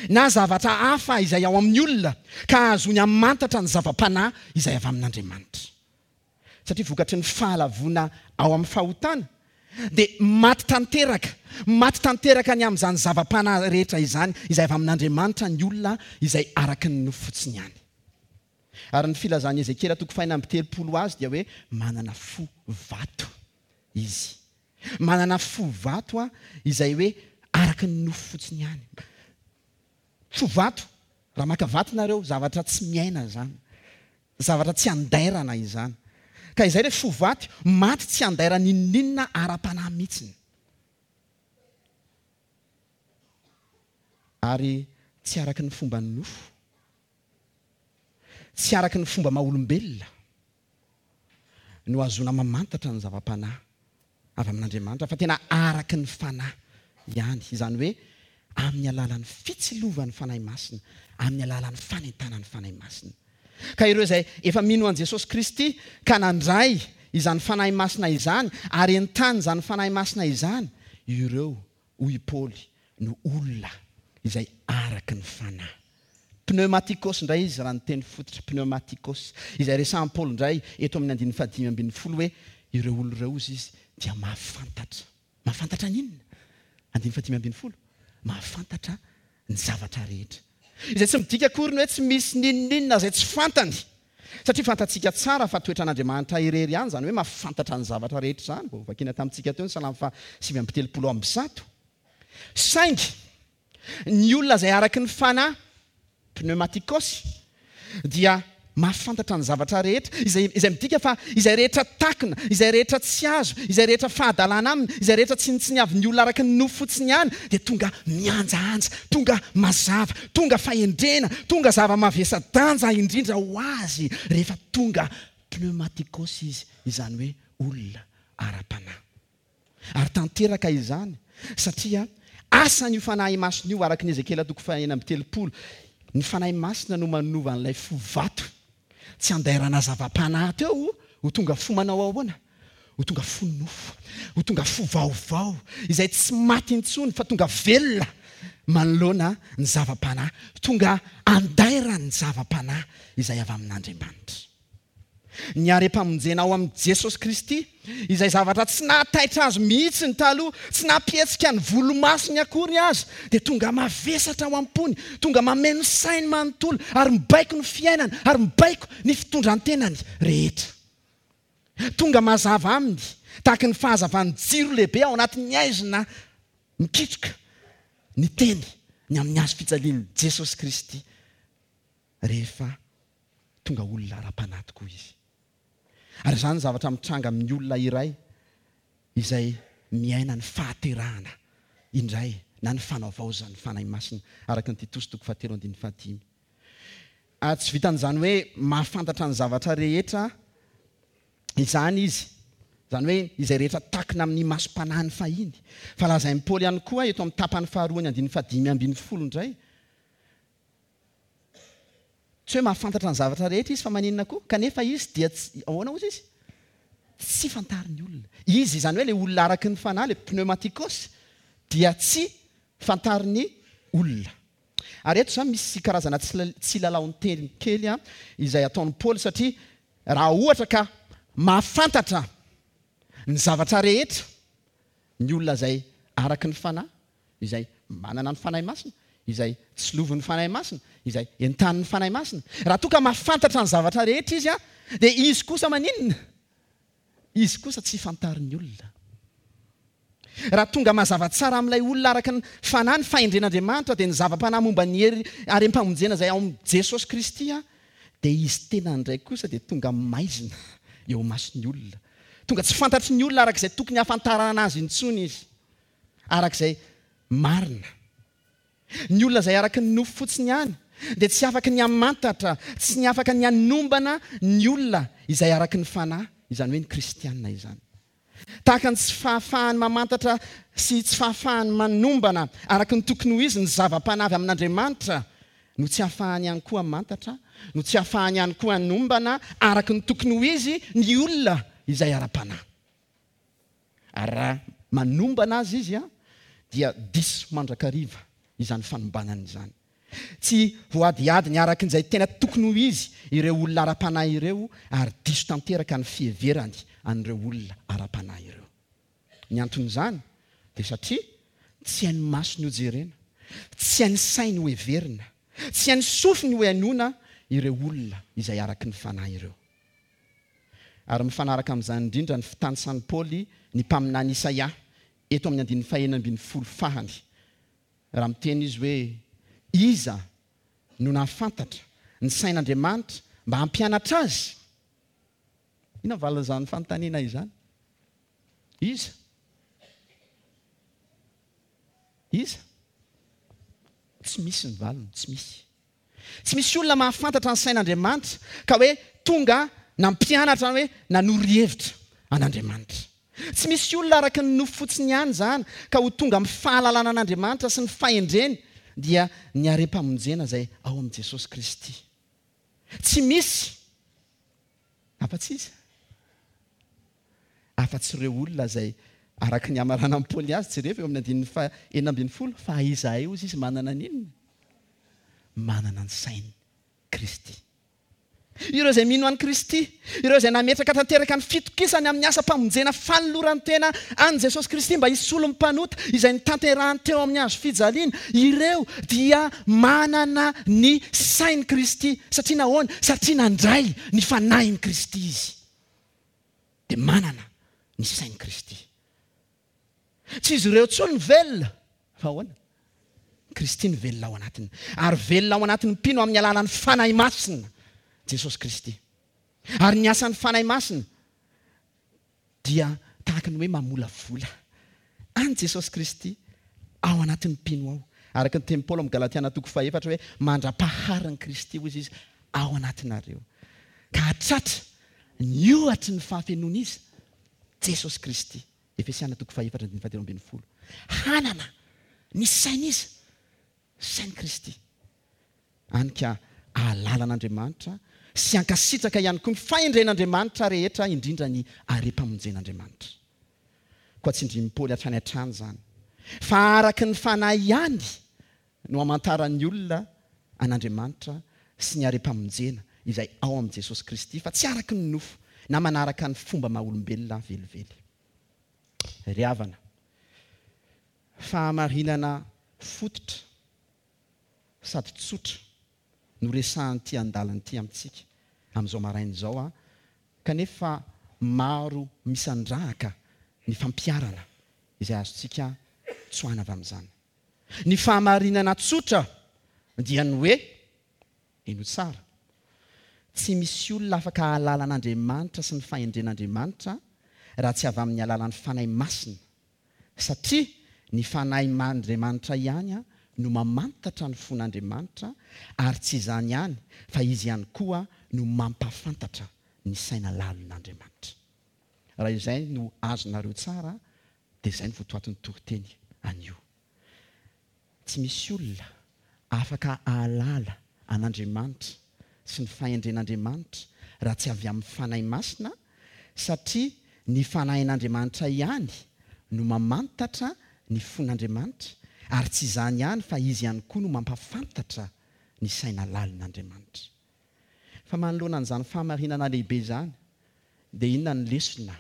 na zavatra hafa izay ao amin'ny olona ka ahazoany hamantatra ny zava-panahy izay avy amin'Andriamanitra. Satria vokatry ny fahalavoana ao amin'ny fahotana dia maty tanteraka, maty tanteraka ny amin'izany zava-panahy rehetra izany izay avy amin'Andriamanitra ny olona izay araka ny nofo fotsiny ihany. Ary ny filazan'i Ezekiela toko fahenina amby telopolo azy dia hoe manana fo vato izy. Manana fo vato a, izay hoe araka ny nofo fotsiny ihany. Fo vato, raha maka vato nareo, zavatra tsy miaina izany. Zavatra tsy andairana izany. Ka izay le fo vato, maty tsy andairana n'inon'inona ara-panahy mihitsiny. Ary tsy araka ny fomba nofo, tsy araka ny fomba maha-olombelona no ahazoana mamantatra ny zava-panahy avy amin'Andriamanitra, fa tena araka ny Fanahy ihany. Izany hoe amin'ny alalan'ny fitsilovan'ny Fanahy Masina, amin'ny alalan'ny fanentanan'ny Fanahy Masina. Ka ireo izay efa mino an'i Jesosy Kristy ka nandray izany Fanahy Masina izany ary entany izany Fanahy Masina izany, ireo, hoy i Paoly, no olona izay araka ny Fanahy. Pneumatikos indray izy raha ny teny fototra, pneumatikos, izay resahan'i Paoly indray eto amin'ny andininy fahadimy ambin'ny folo hoe ireo olona ireo ozy izy dia mahafantatra. Mahafantatra ny inona? Andininy fahadimy ambin'ny folo. Mahafantatra ny zavatra rehetra. Izay tsy midika akory ny hoe tsy misy n'inon'inona izay tsy fantany. Satria fantatsika tsara fa toetran'Andriamanitra irery ihany izany hoe mahafantatra ny zavatra rehetra izany. Vao vakiana tamintsika teo ny Salamo fahasivy amby telopolo amby zato. Saingy ny olona izay araka ny Fanahy, pneumatikos, dia mahafantatra ny zavatra rehetra, izay, izay midika fa izay rehetra takona, izay rehetra tsy azo, izay rehetra fahadalana aminy, izay rehetra tsinontsiniavin'ny olona araka ny nofo fotsiny ihany, dia tonga mihanjahanja, tonga mazava, tonga fahendrena, tonga zava-mavesa-danja indrindra ho azy rehefa tonga pneumatikos izy, izany hoe olona ara-panahy. Ary tanteraka izany satria asan'io Fanahy Masina io, araka ny Ezekiela toko fahenina amby telopolo, ny Fanahy Masina no manova an'ilay fo vato tsy andairana zava-panahy teo ho tonga fo manao ahoana? Ho tonga fo nofo, ho tonga fo vaovao izay tsy maty intsony fa tonga velona manoloana ny zava-panahy, tonga andairan'ny zava-panahy izay avy amin'Andriamanitra. Ny harem-pamonjena ao amin'i Jesosy Kristy, izay zavatra tsy nahataitra azy mihitsy ny taloha, tsy nampihetsika ny volomasony akory azy, dia tonga mavesatra ao am-pony, tonga mameno sainy manontolo, ary mibaiko ny fiainany, ary mibaiko ny fitondran-tenany rehetra. Tonga mazava aminy tahaka ny fahazavan'ny jiro lehibe ao anatin'ny haizina mikitroka ny teny ny amin'ny hazo fijalian'i Jesosy Kristy rehefa tonga olona ara-panahy tokoa izy. Ary izany zavatra mitranga amin'ny olona iray izay miaina ny fahaterahana indray na ny fanavaozan'ny Fanahy Masina, araka ny Titosy toko fahatelo andininy fahadimy. Ary tsy vitan'izany hoe mahafantatra ny zavatra rehetra izany izy, izany hoe izay rehetra takina amin'ny masom-panahiny fahiny, fa lazain'i Paoly ihany koa eto amin'ny tapany faharoa ny andininy fahadimy ambin'ny folo indray. Tsy hoe mahafantatra ny zavatra rehetra izy fa maninona koa, kanefa izy dia tsy, ahoana hozy izy? Tsy fantarin'ny olona. Izy, izany hoe ilay olona araky ny fanahy, ilay pneumatikos, dia tsy fantarin'ny olona. Ary eto izany misy karazana tsilalaon-teny kely izay ataon'i Paoly, satria raha ohatra ka mahafantatra ny zavatra rehetra ny olona izay araky ny fanahy, izay manana ny Fanahy Masina, izay tsilovin'ny Fanahy Masina, izay entanin'ny Fanahy Masina, raha toa ka mahafantatra ny zavatra rehetra izy, dia izy kosa maninona? Izy kosa tsy fantarin'ny olona. Raha tonga mazava tsara amin'ilay olona araka ny fanahy ny fahendren'Andriamanitra, dia ny zava-panahy momba ny hery harem-pamonjena izay ao amin'i Jesosy Kristy, dia izy tena indray kosa dia tonga maizina eo mason'ny olona. Tonga tsy fantatry ny olona araka izay tokony hahafantarana azy intsony izy, araka izay marina. Ny olona izay araka ny nofo fotsiny ihany dia tsy afaka ny hamantatra, tsy ny afaka ny hanombana ny olona izay araka ny fanahy, izany hoe ny kristianina izany. Tahaka ny tsy fahafahany mamantatra sy tsy fahafahany manombana araka ny tokony ho izy ny zava-panahy avy amin'Andriamanitra, no tsy ahafahany ihany koa hamantatra, no tsy ahafahany ihany koa hanombana araka ny tokony ho izy ny olona izay ara-panahy. Ary raha manombana azy izy, dia diso mandrakariva izany fanombanana izany. Tsy voadihadiny araka izay tena tokony ho izy ireo olona ara-panahy ireo, ary diso tanteraka ny fiheverany an'ireo olona ara-panahy ireo. Ny anton'izany dia satria tsy hain'ny masony ho jerena, tsy hain'ny sainy ho heverina, tsy hain'ny sofiny ho hainoana ireo olona izay araky ny fanahy ireo. Ary mifanaraka amin'izany indrindra ny fitanisan'i Paoly ny mpaminany Isaia eto amin'ny andininy fahenina ambin'ny folo fahany. Raha miteny izy hoe iza no nahafantatra ny sain'Andriamanitra mba hampianatra azy? Inona ny valin'izany fanontaniana izany? Iza? Iza? Tsy misy ny valiny, tsy misy. Tsy misy olona mahafantatra ny sain'Andriamanitra ka hoe tonga nampianatra, hoe nanory hevitra an'Andriamanitra. Tsy misy olona araka ny nofo fotsiny ihany izany ka ho tonga amin'ny fahalalana an'Andriamanitra sy ny fahendreny, dia ny harem-pamonjena izay ao amin'i Jesosy Kristy. Tsy misy afa-tsy izy, afa-tsy ireo olona izay araka ny hamaranan'i Paoly azy, jereo eo amin'ny andininy fahenina ambin'ny folo, fa izahay hozy izy manana n'inona? Manana ny sain'i Kristy. Ireo izay mino an'i Kristy, ireo izay nametraka tanteraka ny fitokisany amin'ny asam-pamonjena fanoloran-tena an'i Jesosy Kristy mba hisolo ny mpanota izay nitanterahany teo amin'ny hazo fijaliana, ireo dia manana ny sain'i Kristy. Satria nahoana? Satria nandray ny fanahin'i Kristy izy. Dia manana ny sain'i Kristy. Tsy izy ireo intsony ny velona, fa ahoana? Kristy ny velona ao anatiny. Ary velona ao anatin'ny mpino amin'ny alalan'ny Fanahy Masina, Jesosy Kristy. Ary ny asan'ny Fanahy Masina dia tahaka ny hoe mamolavola an'i Jesosy Kristy ao anatin'ny mpino ao. Araka ny tenin'i Paoly amin'ny Galatiana toko fahefatra hoe mandra-paharin'i Kristy hoy izy ao anatinareo. Ka hatratra ny ohatry ny fahafenoana izy, Jesosy Kristy. Efesiana toko fahefatra andininy fahatelo ambin'ny folo. Hanana ny saina izy, sain'i Kristy. Any ka ahalala an'Andriamanitra sy hankasitraka ihany koa ny fahendren'Andriamanitra rehetra, indrindra ny harem-pamonjen'Andriamanitra. Koa tsindrin'i Paoly hatrany hatrany izany. Fa araka ny fanahy ihany no hamantaran'ny olona an'Andriamanitra sy ny harem-pamonjena izay ao amin'i Jesosy Kristy, fa tsy araka ny nofo na manaraka ny fomba maha-olombelona velively. Ry havana, fahamarinana fototra sady tsotra no resahan'ity andalana ity amintsika amin'izao maraina izao, kanefa maro misandrahaka ny fampiharana izay azontsika tsoahina avy amin'izany. Ny fahamarinana tsotra dia ny hoe, henoy tsara, tsy misy olona afaka hahalala an'Andriamanitra sy ny fahendren'Andriamanitra raha tsy avy amin'ny alalan'ny Fanahy Masina, satria ny Fanahin'Andriamanitra ihany no mamantatra ny fon'Andriamanitra, ary tsy izany ihany fa izy ihany koa no mampahafantatra ny saina lalin'Andriamanitra. Raha izay no azonareo tsara dia izay no votoatin'ny toriteny anio. Tsy misy olona afaka hahalala an'Andriamanitra sy ny fahendren'Andriamanitra raha tsy avy amin'ny Fanahy Masina, satria ny Fanahin'Andriamanitra ihany no mamantatra ny fon'Andriamanitra, ary tsy izany ihany fa izy ihany koa no mampahafantatra ny saina lalin'Andriamanitra. Fa manoloana an'izany fahamarinana lehibe izany dia inona ny lesona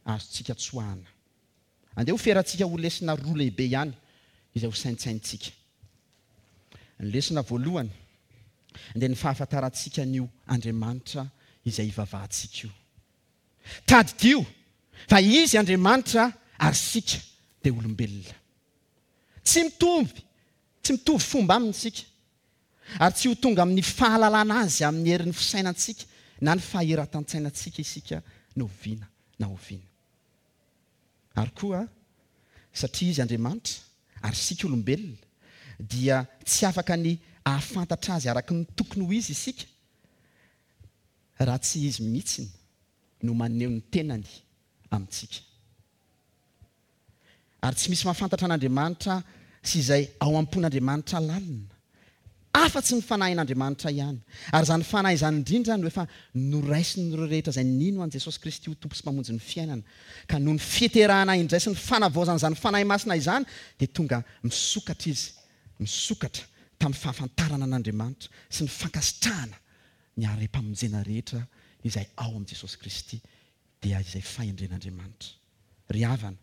azontsika tsoahana? Andeha ho ferantsika ho lesona roa lehibe ihany izay ho saintsaintsika. Ny lesona voalohany dia ny fahafantarantsika an'io Andriamanitra izay ivavahantsika io. Tadidio fa izy Andriamanitra ary isika dia olombelona. Tsy mitovy, tsy mitovy fomba aminy isika, ary tsy ho tonga amin'ny fahalalana azy amin'ny herin'ny fisainantsika na ny fahiratan-tsainantsika isika na oviana na oviana. Ary koa satria izy Andriamanitra ary isika olombelona dia tsy afaka ny ahafantatra azy araka ny tokony ho izy isika raha tsy izy mihitsy no maneho ny tenany amintsika. Ary tsy misy mahafantatra an'Andriamanitra sy izay ao am-pon'Andriamanitra lalina afa-tsy ny Fanahin'Andriamanitra ihany. Ary izany Fanahy izany indrindra no efa noraisin'ireo rehetra izay nino an'i Jesosy Kristy ho Tompo sy Mpamonjy ny fiainana. Ka noho ny fiterahana indray sy ny fanavaozana izany Fanahy Masina izany dia tonga misokatra izy, misokatra tamin'ny fahafantarana an'Andriamanitra sy ny fankasitrahana ny harem-pamonjena rehetra izay ao amin'i Jesosy Kristy, dia izay fahendren'Andriamanitra. Ry havana,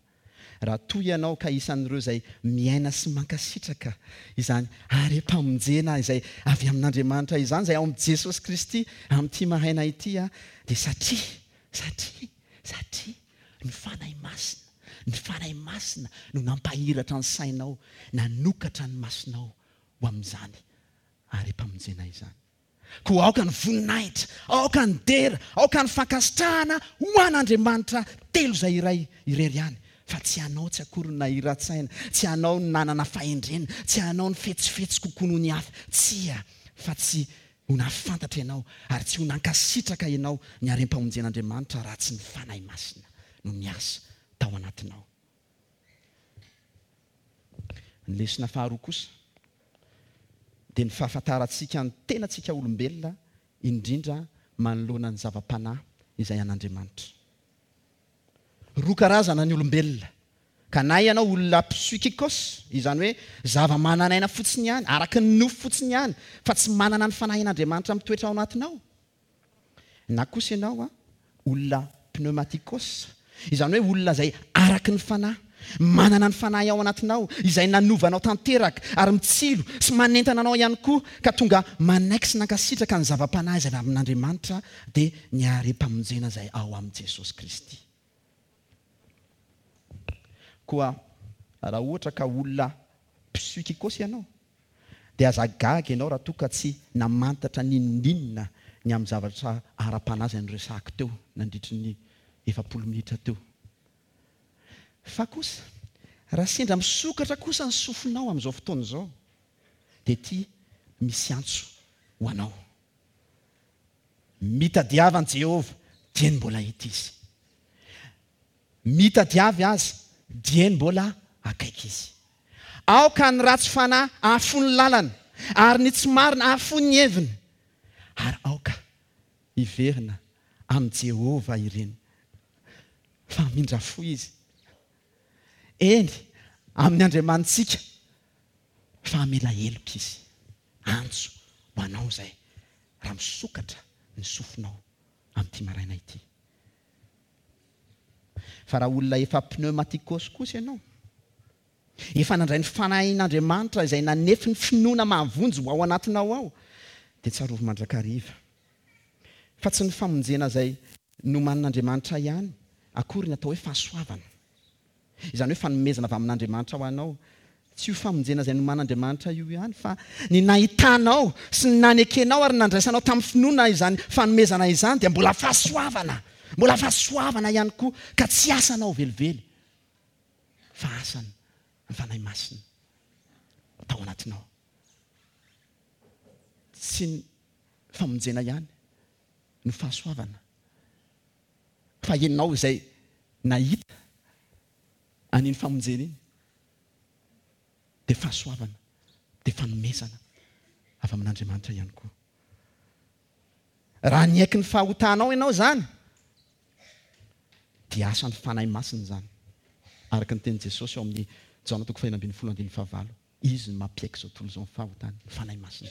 raha toa ianao ka isan'ireo izay miaina sy mankasitraka izany harem-pamonjena izay avy amin'Andriamanitra izany, izay ao amin'i Jesosy Kristy amin'ity maraina ity, dia satria, satria, satria ny Fanahy Masina, ny Fanahy Masina no nampahiratra ny sainao, nanokatra ny masonao ho amin'izany harem-pamonjena izany. Koa aoka ny voninahitra, aoka ny dera, aoka ny fankasitrahana ho an'Andriamanitra telo izay iray irery ihany, fa tsy anao tsy akory ny nahira-tsaina, tsy anao ny nanana fahendrena, tsy anao ny fetsifetsy kokoa noho ny hafa, tsia, fa tsy ho nahafantatra ianao ary tsy ho nankasitraka ianao ny harem-pamonjen'Andriamanitra raha tsy ny Fanahy Masina no niasa tao anatinao. Ny lesona faharoa kosa dia ny fahafantarantsika ny tenantsika olombelona, indrindra manoloana ny zava-panahy izay an'Andriamanitra. Roa karazana ny olombelona, ka na ianao olona psychikos, izany hoe zava-manan'aina fotsiny ihany, araka ny nofo fotsiny ihany, fa tsy manana ny fanahin'Andriamanitra mitoetra ao anatinao, na kosa ianao olona pneumatikos, izany hoe olona izay araka ny fanahy, manana ny fanahy ao anatinao, izay nanovanao tanteraka ary mitsilo sy manentana anao ihany koa, ka tonga manaiky sy nankasitraka ny zava-panahy izay avy amin'Andriamanitra, dia ny harem-pamonjena izay ao amin'i Jesosy Kristy. Koa raha ohatra ka olona psychikos ianao, dia aza gaga ianao raha toa ka tsy namantatra n'inon'inona ny amin'ny zavatra ara-panahy izay noresahako teo nandritry ny efapolo minitra teo. Fa kosa, raha sendra misokatra kosa ny sofinao amin'izao fotoana izao, dia ity misy antso ho anao. Mitadiava an'i Jehovah dieny mbola hita izy. Mitadiavy azy dieny mbola akaiky izy. Aoka ny ratsy fanahy hahafoy ny lalana, ary ny tsy marina hahafoy ny heviny. Ary aoka hiverina amin'i Jehovah ireny, fa hamindra fo izy. Eny, amin'ny Andriamanitsika, fa hamela heloka izy. Antso ho anao izay, raha misokatra ny sofinao amin'ity maraina ity. Fa raha olona efa pneumatikos kosa ianao, efa nandray ny fanahin'Andriamanitra izay nanefy ny finoana mahavonjy ho ao anatinao ao, dia tsarovy mandrakariva fa tsy ny famonjena izay nomanin'Andriamanitra ihany akory ny atao hoe fahasoavana. Izany hoe fanomezana avy amin'Andriamanitra ho anao. Tsy io famonjena izay nomanin'Andriamanitra io ihany, fa ny nahitanao sy ny nanekenao ary nandraisanao tamin'ny finoana izany fanomezana izany dia mbola fahasoavana. Mbola fahasoavana ihany koa, ka tsy asanao velively, fa asany ny Fanahy Masina tao anatinao. Tsy ny famonjena ihany no fahasoavana, fa ianao izay nahita an'iny famonjena iny dia fahasoavana, dia fanomezana avy amin'Andriamanitra ihany koa. Raha niaiky ny fahotanao ianao izany, dia asan'ny Fanahy Masina izany. Araka ny tenin'i Jesosy ao amin'ny Jaona toko fahenina ambin'ny folo andininy fahavalo, Izy no mampiaiky izao tontolo izao ny fahotany, ny Fanahy Masina.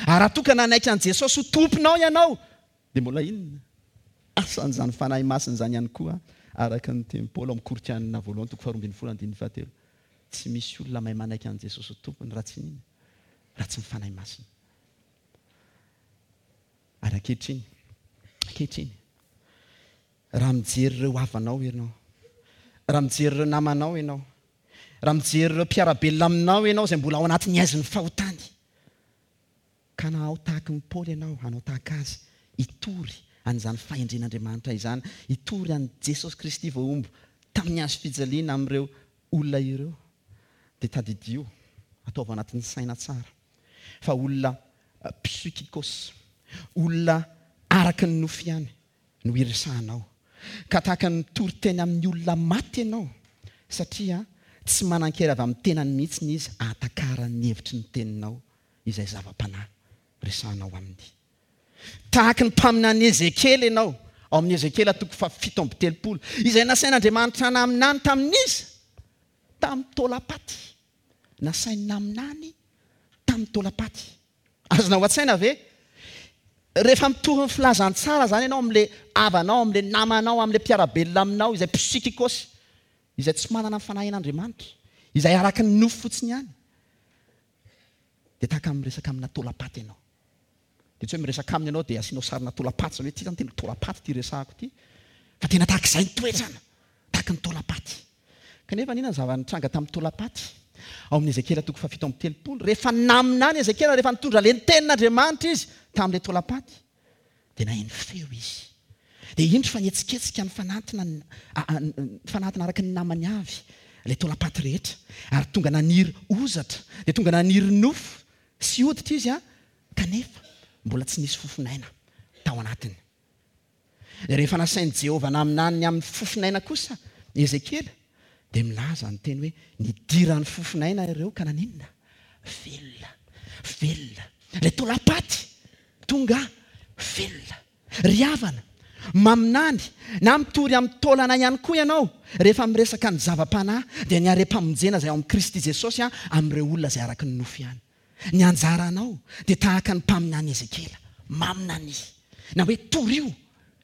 Ary raha toa ka nanaiky an'i Jesosy ho Tomponao ianao, dia mbola inona? Asan'izany Fanahy Masina izany ihany koa, araka ny tenin'i Paoly ao amin'ny Korintianina voalohany toko faharoa ambin'ny folo andininy fahatelo. Tsy misy olona mahay manaiky an'i Jesosy ho Tompony raha tsy inona? Raha tsy ny Fanahy Masina. Ary ankehitriny, ankehitriny, raha mijery ireo havanao ianao, raha mijery ireo namanao ianao, raha mijery ireo mpiara-belona aminao ianao izay mbola ao anatin'ny haizin'ny fahotany, ka na ao tahaky ny Paoly ianao, hanao tahaka azy, hitory an'izany fahendren'Andriamanitra izany, hitory an'i Jesosy Kristy voahombo tamin'ny hazo fijaliana amin'ireo olona ireo, dia tadidio, ataovy anatin'ny saina tsara, fa olona psychikos, olona araka ny nofo ihany no iresahanao. Ka tahaka ny mitory teny amin'ny olona maty ianao, satria tsy manan-kery avy amin'ny tenany mihitsy izy ahatakarany ny hevitry ny teninao izay zava-panahy resahanao aminy. Tahaka ny mpaminany Ezekiela ianao, ao amin'ny Ezekiela toko fahafito amby telopolo, izay nasain'Andriamanitra naminany tamin'iza? Tamin'ny taolam-paty. Nasainy naminany tamin'ny taolam-paty. Azonao an-tsaina ve? Rehefa mitory ny filazantsara izany ianao amin'ilay havanao, amin'ilay namanao, amin'ilay mpiara-belona aminao, izay psychikos, izay tsy manana ny fanahin'Andriamanitra, izay araka ny nofo fotsiny ihany, dia tahaka ny miresaka amina taolam-paty ianao. Dia tsy hoe miresaka aminy ianao dia asianao sarina taolam-paty, izany hoe ity izany tena taolam-paty ity resahako ity, fa tena tahaka izay ny toetrana, tahaka ny taolam-paty. Kanefa inona ny zava-nitranga tamin'ny taolam-paty? Ao amin'ny Ezekiela toko fahafito amby telopolo, rehefa naminany Ezekiela, rehefa nitondra ilay tenin'Andriamanitra izy tamin'ilay taolam-paty, dia naheno feo izy. Dia indro fa nihetsiketsika nifanantona, nifanantona araka ny namany avy ilay taolam-paty rehetra, ary tonga naniry hozatra, dia tonga naniry nofo sy hoditra izy, kanefa mbola tsy nisy fofon'aina tao anatiny. Rehefa nasain'i Jehovah naminany ny amin'ny fofon'aina kosa Ezekiela, dia milaza ny teny hoe nidiran'ny fofon'aina ireo ka naninona? Velona, velona. Ilay taolam-paty tonga velona. Ry havana, maminany na mitory amin'ny taolana ihany koa ianao rehefa miresaka ny zava-panahy, dia ny harem-pamonjena izay ao amin'i Kristy Jesosy amin'ireo olona izay araka ny nofo ihany. Ny anjaranao dia tahaka ny mpaminany Ezekiela, maminania, na hoe torio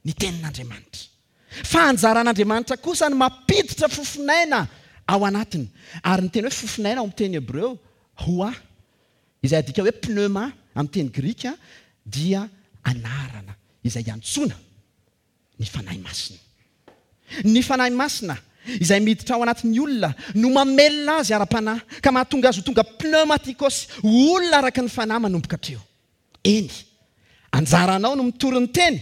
ny tenin'Andriamanitra. Fa anjaran'Andriamanitra kosa ny mampiditra fofon'aina ao anatiny. Ary ny teny hoe fofon'aina ao amin'ny teny hebreo, ruah, izay adika hoe pneuma amin'ny teny grika, dia anarana izay iantsoana ny Fanahy Masina. Ny Fanahy Masina izay miditra ao anatin'ny olona no mamelona azy ara-panahy, ka mahatonga azy ho tonga pneumatikos, ho olona araka ny fanahy manomboka hatreo. Eny, anjaranao no mitory ny teny,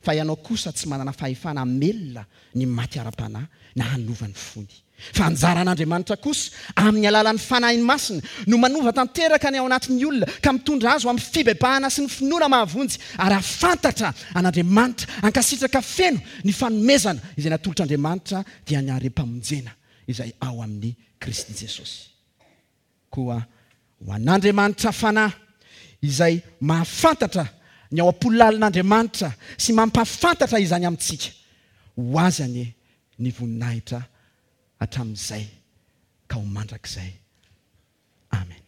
fa ianao kosa tsy manana fahefana hamelona ny maty ara-panahy na hanova ny fony. Fa anjaran'Andriamanitra kosa, amin'ny alalan'ny Fanahiny Masina, no manova tanteraka ny ao anatin'ny olona, ka mitondra azy ho amin'ny fibebahana sy ny finoana mahavonjy, ary hahafantatra an'Andriamanitra, hankasitraka feno ny fanomezana izay natolotr'Andriamanitra, dia ny harem-pamonjena izay ao amin'i Kristy Jesosy. Koa ho an'Andriamanitra Fanahy, izay mahafantatra ny ao am-po lalin'Andriamanitra sy mampahafantatra izany amintsika, ho Azy anie ny voninahitra hatramin'izay ka ho mandrakizay. Amen.